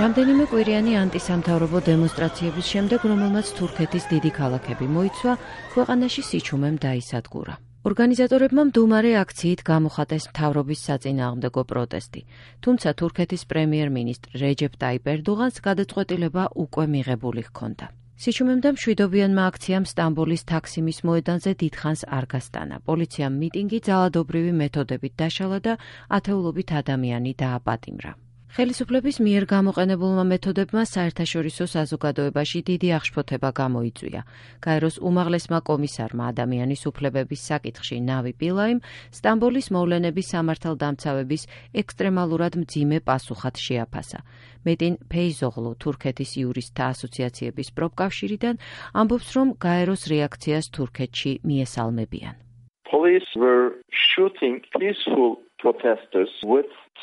რამდენიმე კვირიანი ანტისამთავრობო დემონსტრაციების შემდეგ, რომელმაც თურქეთის დიდი ქალაქები მოიცვა, ქვეყანაში სიჩუმემ დაისადგურა. ორგანიზატორებმა მდუმარე აქციით გამოხატეს მთავრობის საწინააღმდეგო პროტესტი, თუმცა თურქეთის პრემიერ-მინისტრ რეჯეფ ტაიპ ერდოღანს გადაწყვეტილება უკვე მიღებული ჰქონდა. სიჩუმემ და მშვიდობიანმა აქციამ სტამბოლის თაქსიმის მოედანზე დიდხანს არ გასტანა. პოლიციამ მიტინგი ძალადობრივი მეთოდებით დაშალა და ათეულობით ადამიანი დააპატიმრა. ხელისუფლების მიერ გამოყენებულმა მეთოდებმა საერთაშორისო საზოგადოებაში დიდი აღშფოთება გამოიწვია. გაეროს უმაღლესმა კომისარმა ადამიანის უფლებების საკითხში ნავი პილაიმ სტამბოლის მოვლენების სამართალდამცავების ექსტრემალურად მძიმე პასუხად შეაფასა. მეტინ ფეიზოღლუ თურქეთის იურისტთა ასოციაციების პროფკავშირიდან ამბობს, რომ გაეროს რეაქციას თურქეთში მიესალმებიან.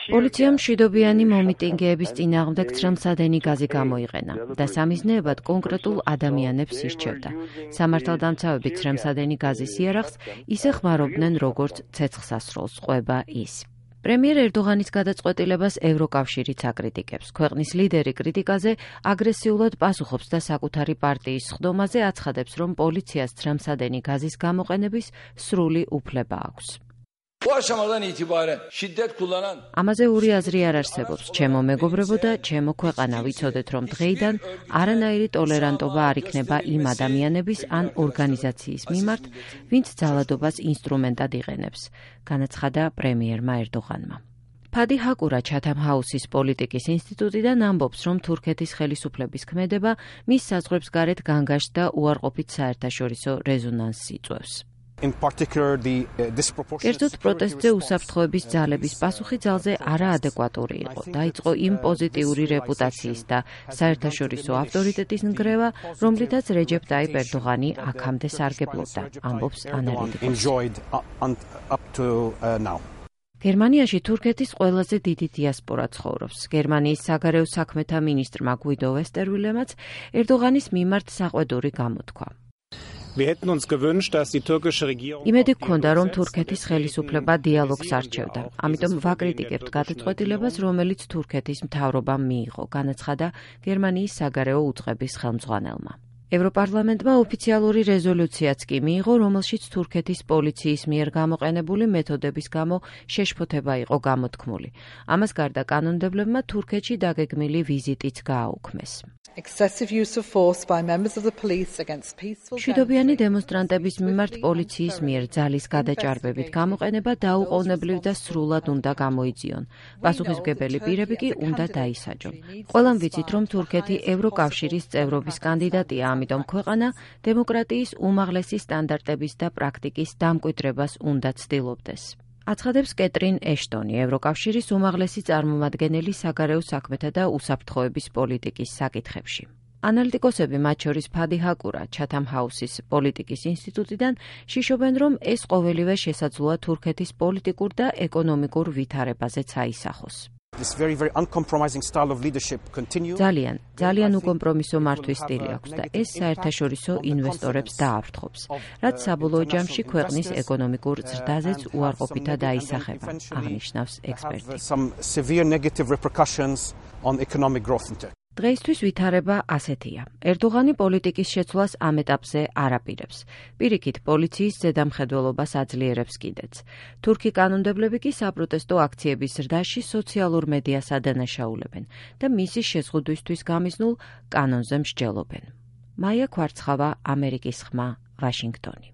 პოლიციამ მშვიდობიანი მომიტინგეების წინააღმდეგ ცრემლსადენი გაზი გამოიყენა და სამიზნეებად კონკრეტულ ადამიანებს ირჩევდა. სამართალდამცავები ცრემლსადენი გაზის იარაღს ისე ხმარობდნენ, როგორც ცეცხლსასროლს ყვება ის. პრემიერ ერდოღანის გადაწყვეტილებას ევროკავშირიც აკრიტიკებს. ქვეყნის ლიდერი კრიტიკაზე აგრესიულად პასუხობს და საკუთარი პარტიის სხდომაზე აცხადებს, რომ პოლიციას ცრემლსადენი გაზის გამოყენების სრული უფლება აქვს. ამაზე ორი აზრი არ არსებობს. ჩემო მეგობრებო და ჩემო ქვეყანა, ვიცოდეთ, რომ დღეიდან არანაირი ტოლერანტობა არ იქნება იმ ადამიანების ან ორგანიზაციის მიმართ, ვინც ძალადობას ინსტრუმენტად იყენებს, განაცხადა პრემიერმა ერდოღანმა. ფადი ჰაკურა ჩათამ ჰაუსის პოლიტიკის ინსტიტუტიდან ამბობს, რომ თურქეთის ხელისუფლების ქმედება მის საზღვრებს გარეთ განგაშტ და უარყოფით საერთაშორისო რეზონანსს იწვევს. კერძოდ პროტესტზე უსაფრთხოების ძალების პასუხი ძალზე არაადეკვატური იყო. დაიწყო იმ პოზიტიური რეპუტაციის და საერთაშორისო ავტორიტეტის ნგრევა, რომლითაც რეჯეფ ტაიპ ერდოღანი აქამდე სარგებლობდა, ამბობს ანალიტიკოსი. გერმანიაში თურქეთის ყველაზე დიდი დიასპორა ცხოვრობს. გერმანიის საგარეო საქმეთა მინისტრმა გვიდო ვესტერვილემაც ერდოღანის მიმართ საყვედური გამოთქვა. იმედი გქონდა, რომ თურქეთის ხელისუფლება დიალოგს არჩევდა. ამიტომ ვაკრიტიკებთ გადაწყვეტილებას, რომელიც თურქეთის მთავრობამ მიიღო, განაცხადა გერმანიის საგარეო უწყების ხელმძღვანელმა. ევროპარლამენტმა ოფიციალური რეზოლუციაც კი მიიღო, რომელშიც თურქეთის პოლიციის მიერ გამოყენებული მეთოდების გამო შეშფოთება იყო გამოთქმული. ამას გარდა კანონმდებლებმა თურქეთში დაგეგმილი ვიზიტიც გააუქმეს. მშვიდობიანი დემონსტრანტების მიმართ პოლიციის მიერ ძალის გადაჭარბებით გამოყენება დაუყოვნებლივ და სრულად უნდა გამოიძიონ. პასუხისმგებელი პირები კი უნდა დაისაჯონ. ყველამ ვიცით, რომ თურქეთი ევროკავშირის წევრობის კანდიდატია, ამიტომ ქვეყანა დემოკრატიის უმაღლესი სტანდარტების და პრაქტიკის დამკვიდრებას უნდა ცდილობდეს. აცხადებს კეტრინ ეშტონი, ევროკავშირის უმაღლესი წარმომადგენელი საგარეო საქმეთა და უსაფრთხოების პოლიტიკის საკითხებში. ანალიტიკოსები, მათ შორის ფადი ჰაკურა, ჩათამ ჰაუსის პოლიტიკის ინსტიტუტიდან, შიშობენ, რომ ეს ყოველივე შესაძლოა თურქეთის პოლიტიკურ და ეკონომიკურ ვითარებაზეც აისახოს. ძალიან უკომპრომისო მართვის სტილი აქვს და ეს საერთაშორისო ინვესტორებს დააფრთხობს, რაც საბოლოო ჯამში ქვეყნის ეკონომიკურ ზრდაზეც უარყოფითად აისახება, აღნიშნავს ექსპერტი. დღეისთვის ვითარება ასეთია. ერდოღანი პოლიტიკის შეცვლას ამ ეტაპზე არ აპირებს. პირიქით, პოლიციის ზედამხედველობას აძლიერებს კიდეც. თურქი კანონმდებლები კი საპროტესტო აქციების ზრდაში სოციალურ მედიას ადანაშაულებენ და მისი შეზღუდვისთვის გამიზნულ კანონზე მსჯელობენ. მაია ქვარცხავა, ამერიკის ხმა, ვაშინგტონი.